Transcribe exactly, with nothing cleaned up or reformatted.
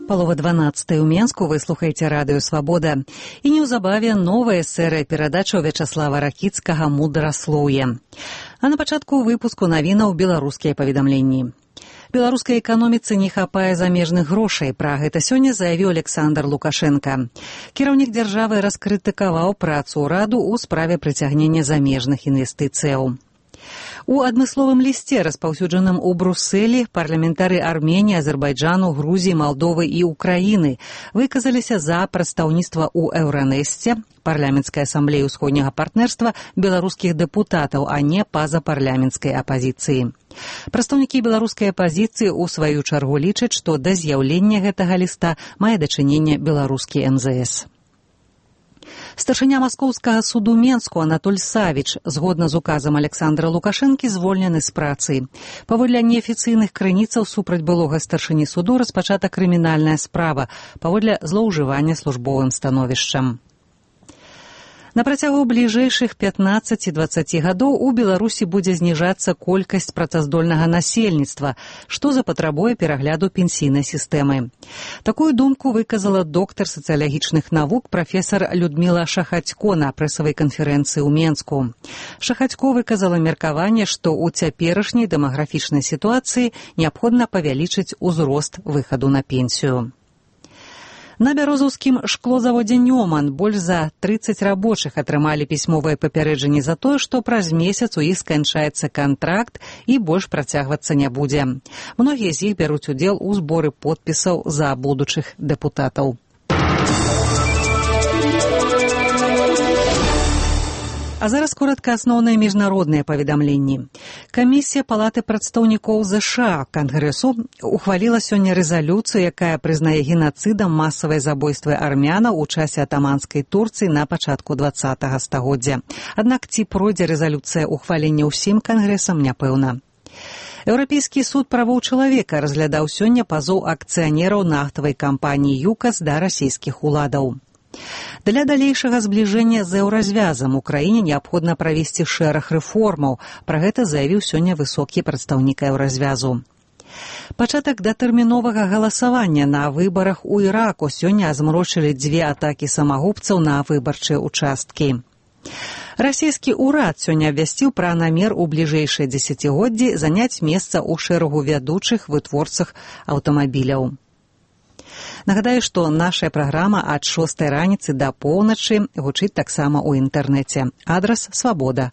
Палова дванаццатай у Менску, вы слухаеце радыё «Свабода». І неўзабаве новая серыя перадачаў Вячаслава Ракіцкага «Мудраслоўе». А на пачатку выпуску навінаў беларускія паведамленні. Беларускай эканоміцы не хапае замежных грошай. Пра гэта сёння заявіў Александр Лукашенко. Кіраўнік дзяржавы раскрытыкаваў працу ўраду ў справе прыцягнення замежных інвестыцыяў. У адмысловым лісце, распаўсюджаным у Брусэлі, парламентары Арменіі, Азербайджану, Грузіі, Малдовы і Украіны выказаліся за прадстаўніцтва ў Еўранэсце, парламенцкай асамблеі ўсходняга партнерства беларускіх дэпутатаў, а не пазапарламенцкай апазіцыі. Прадстаўнікі беларускай апазіцыі ў сваю чаргу лічаць, што да з'яўлення гэтага ліста мае дачыненне беларускі эм зэ эс. Старшыня маскоўскага суду Менску Анатоль Савіч, згодна з указам Александра Лукашэнкі, звольнены з працы. Паводле неафіцыйных крыніцаў супраць былога старшыні суду распачата крымінальная справа паводле злоўжывання службовым становішчам. На працягу бліжэйшых пятнаццаці-дваццаці гадоў у Беларусі будзе зніжацца колькасць працаздольнага насельніцтва, што запатрабуе перагляду пенсійнай сістэмы. Такую думку выказала доктар сацыялагічных навук прафесар Людміла Шахацько на прэсавай канферэнцыі ў Менску. Шахацько выказала меркаванне, што ў цяперашняй дэмаграфічнай сітуацыі неабходна павялічыць узрост выхаду на пенсію. На бярозаўскім шклозаводзе «Нёман» больш за трыццаць рабочых атрымалі пісьмовае папярэджанне за тое, што праз месяц у іх сканчаецца кантракт і больш працягвацца не будзе. Многія з іх бяруць удзел у зборы подпісаў за будучых дэпутатаў. А зараз коратка асноўныя міжнародныя паведамленні. Камісія Палаты прадстаўнікоў ЗША Кангрэсу ухваліла сёння рэзалюцыю, якая прызнае генацыдам масавыя забойствы армянаў у часе атаманскай Турцыі на пачатку дваццатага стагоддзя. Аднак ці пройдзе рэзалюцыя ухвалення ўсім кангрэсам, няпэўна. Еўрапейскі суд правоў чалавека разглядаў сёння пазоў акцыянераў нафтавай кампаніі «ЮКАС» да расійскіх уладаў. Для далейшага збліжэння з еўразвязам Украіне неабходна правесці шэраг рэформаў. Пра гэта заявіў сёння высокі прадстаўнік еўразвязу. Пачатак датэрміновага галасавання на выбарах у Іраку сёння змрочылі дзве атакі самагубцаў на выбарчыя участкі. Расійскі ўрад сёння абвясціў пра намер у бліжэйшыя дзесяцігоддзі заняць месца ў шэрагу вядучых вытворцах аўтамабіляў. Нагадаю, што наша праграма ад шостай раніцы да поўначы гучыць таксама ў інтэрнэце. Адрас свабода